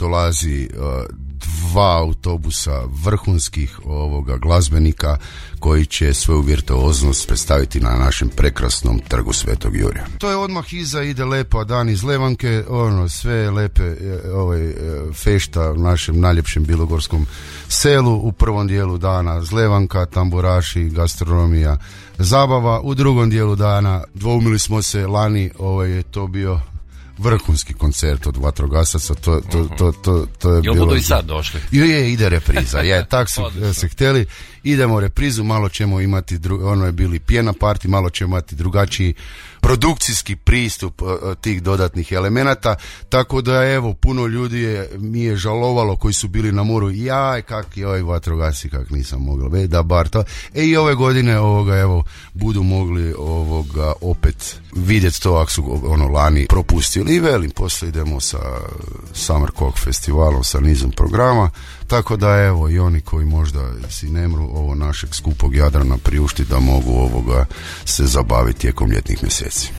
Dolazi dva autobusa vrhunskih glazbenika koji će svoju virtuoznost predstaviti na našem prekrasnom trgu Svetog Jurija. To je odmah iza, ide Lepa dan iz Levanke, sve lepe fešta u našem najljepšem bilogorskom selu. U prvom dijelu dana Zlevanka, tamburaši, gastronomija, zabava. U drugom dijelu dana dvoumili smo se lani, je to bio vrhunski koncert od vatrogasaca, to je bilo... Jel budu i sad došli? Ide repriza, tak su se htjeli, idemo reprizu, malo ćemo imati, je bili pjena party, malo ćemo imati drugačiji produkcijski pristup tih dodatnih elemenata, tako da puno ljudi mi je žalovalo koji su bili na moru, kak je vatrogasci, kak nisam mogla, da bar to, i ove godine budu mogli opet vidjeti to ako su lani propustili i velim, poslije idemo sa Summer Cock festivalom, sa nizom programa, tako da i oni koji možda si nemru ovo našeg skupog Jadrana priušti da mogu se zabaviti tijekom ljetnih mjeseci.